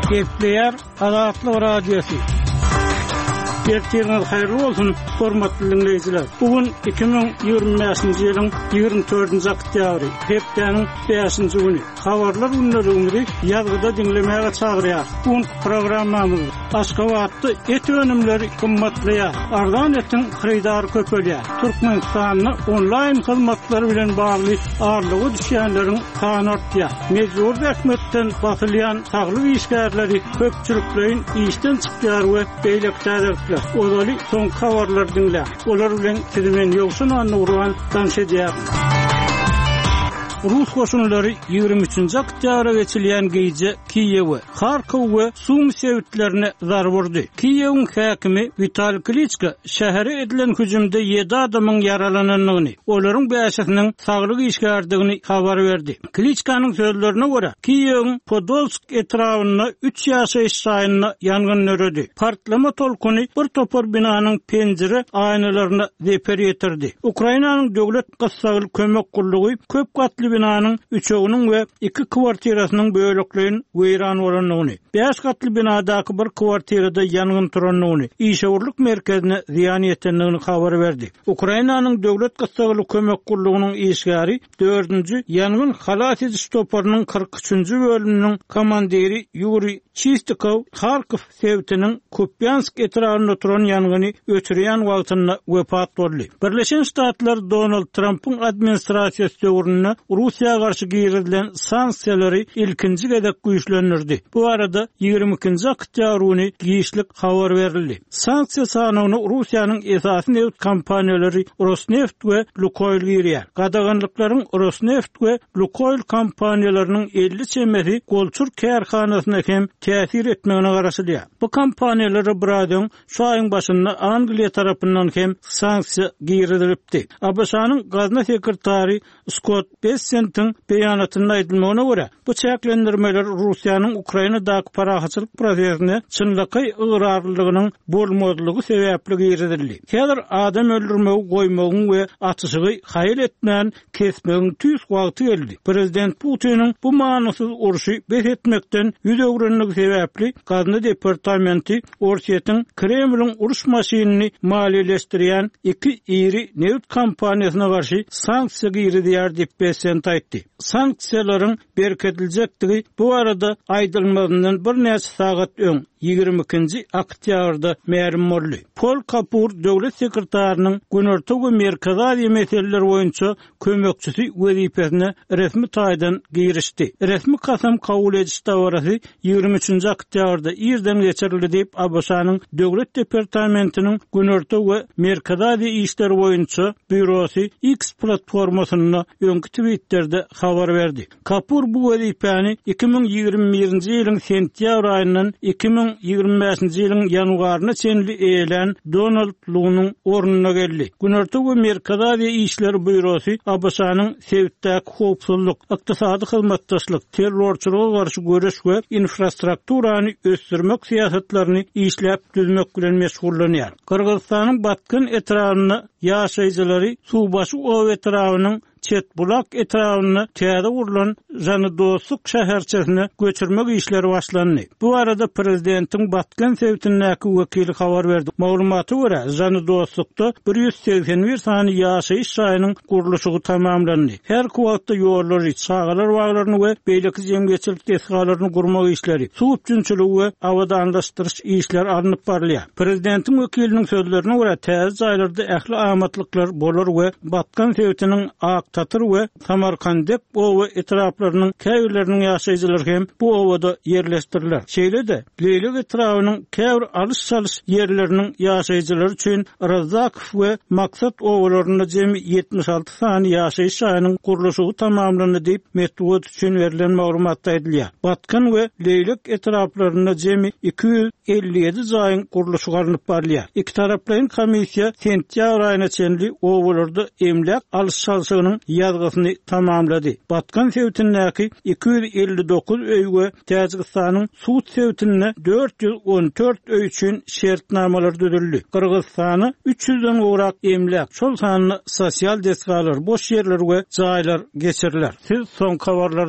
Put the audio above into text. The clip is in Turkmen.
Gepleýär Azatlyk Radiosy. Ertiriňiz haýyrly bolsun, hormatly diňleýjiler. Bu gün 2025-nji ýylyň 24-nji oktýabry, hepdäniň 5-nji güni. Habarlar gündeligimizi ýazgyda diňlemäge çagyrýar. Bu günki programmamyzda Aşgabatda et önümleri gymmatlaýar, arzan etiň hyrydary köpelýär. Türkmenistanda onlaýn hyzmatlar bilen bagly aldawa düşýänleriň sany artýar. Mejbury zähmetden basylýan saglyk işgärleri köpçülikleýin işden çykýar we beýleki täzelikler. Ozaly soňky habarlary diňläň. Olar bilen sizi men Ýowşan Annagurban tanyş edýärin. Rus goşunlary 23-nji oktýabra geçilýän gije Kiýewe, Harkow we Sumy sebitlerine zarba urdy. Kiýewiň häkimi Witaliý Kliçko şähere edilen hüjümde ýedi adamyň ýaralanandygyny, olaryň bäşisiniň saglyk işgäridigini habar berdi. Kliçkanyň sözlerine görä, Kiýewiň Podolsk etrabynda üç ýaşaýyş jaýynda ýangyn döredi. Partlama tolkuny bir topar binanyň penjire aýnalaryna zeper ýetirdi. Ukrainanyň döwlet gyssagly kömek gullugy köp gatly binanyň üçeginiň we iki kwartirasynyň bölekleýin weýran bolandygyny, bäş gatly binadaky bir kwartirada ýangyn turandygyny, işewürlik merkezine zyýan ýetendigini habar berdi. Ukrainanyň döwlet gyssagly kömek gullugynyň işgäri dördünji ýangyn halas ediş toparynyň 43-nji bölüminiň komandiri Ýuriý Çistikow Harkow sebitiniň Kupýansk etrabynda turan ýangyny öçürýän wagtynda wepat boldy. Birleşen Ştatlar Donald Trampyň administrasiýasy döwründe Russiýa garşy girizilen sanksiýalary ilkinji gezek güýçlendirdi. Bu barada 22-nji oktýabr güni giçlik habar berildi. Sanksiýa sanawyna Russiýanyň esasy nebit kompaniýalary Rosneft we Lukoýl girýär. Gadaganlyklaryň Rosneft we Lukoýl kompaniýalarynyň 50 çemesi golçur kärhanasyna hem täsir etmegine garaşylýar. Bu kompaniýalara biraz öň, şu aýyň başynda Angliýa tarapyndan hem sanksiýa girizilipdi. ABŞ-nyň gazna sekretary Skott Bessentiň beýanatynda aýdylmagyna görä, bu çäklendirmeler Russiýanyň Ukrainadaky parahatçylyk prosesine çynlakaý ygrarlylygynyň bolmazlygy sebäpli girizildi. Häzir adam öldürmegi goýmagyň we atyşygy haýal etmän kesmegiň tüýs wagty geldi. Prezident Putiniň bu manysyz urşy bes etmekden ýüz öwrenligi sebäpli Gazna departamenti Orsýetiň Kremliň uruş maşynyny maliýeleşdirýän iki iri nebit kompaniýasyna garşy sanksiýa girizýär diýip, Bessent aýtdy. Sanksiýalaryň berkidiljekdigi bu barada aýdylmazyndan birnäçe sagat öň, 22-nji oktýabrda mälim boldy. Pol Kapur döwlet sekretarynyň Günorta we Merkezi Aziýa meseleleri boýunça kömekçisi wezipesine resmi taýdan girişdi. Resmi kasam kabul ediş dabarasy 23-nji oktýabrda irden geçirildi diýip, ABŞ-nyň Döwlet departamentiniň Günorta we Merkezi Aziýa işleri boýunça býurosy X platformasynda öňki twitterde habar berdi. Kapur bu wezipäni 2021-nji ýylyň sentýabr aýyndan 2025-nji ýylyň ýanwaryna çenli eýelän Donald Lunyň ornuna geldi. Günorta we Merkezi Aziýa işleri býurosy ABŞ-nyň sebitdäki howpsuzlyk, ykdysady hyzmatdaşlyk, terrorçylyga garşy göreş we infrastrukturany ösdürmek syýasatlaryny işläp düzmek bilen meşgullanýar. Gyrgyzystanyň Batken etrabynda ýaşaýjylary Suwbaşy oba etrabynyň Çetbulak etrabynda täze gurlan Žanydoslyk şäherçesine göçürmek işleri başlandy. Bu barada prezidentiň Batken sebitindäki wekili habar berdi. Maglumata görä, Žanydoslykda 181 sany ýaşaýyş jaýynyň gurluşygy tamamlandy. Häzirki wagtda ýollary, çagalar baglaryny we beýleki jemgyýetçilik desgalaryny gurmak işleri, suw üpjünçiligi we abadanlaşdyryş işleri alnyp barylýar. Prezidentiň wekiliniň sözlerine görä, täze jaýlarda ähli amatlyklar bolar we Batkan sebitiniň Aktatyr we Samarkandek oba etraplarynyň käbirleriniň ýaşaýjylary hem bu obada ýerleşdiriler. Şeýle-de, Leýlek etrabynyň käbir alyş-çalyş ýerleriniň ýaşaýjylary üçin Razzakow we Maksat obalarynda jemi 76 sany ýaşaýyş jaýynyň gurluşygy tamamlandy diýip, metbugat üçin berlen maglumatda aýdylýar. Batkan we Leýlek etraplarynda jemi 257 jaýyň gurluşygy alnyp barylýar. Ikitaraplaýyn komissiýa sentýabr aýyna çenli obalarda emläk alyş-çalşygynyň ýazgysyny tamamlady. Batkan sebitindäki 259 öý we Täjigistanyň Sut sebitinde 414 öý üçin şertnamalar düzüldi. Gyrgyzystana 300-den gowrak emläk, şol sanda sosial desgalar, boş ýerler we jaýlar geçiriler. Siz soňky habarlarda.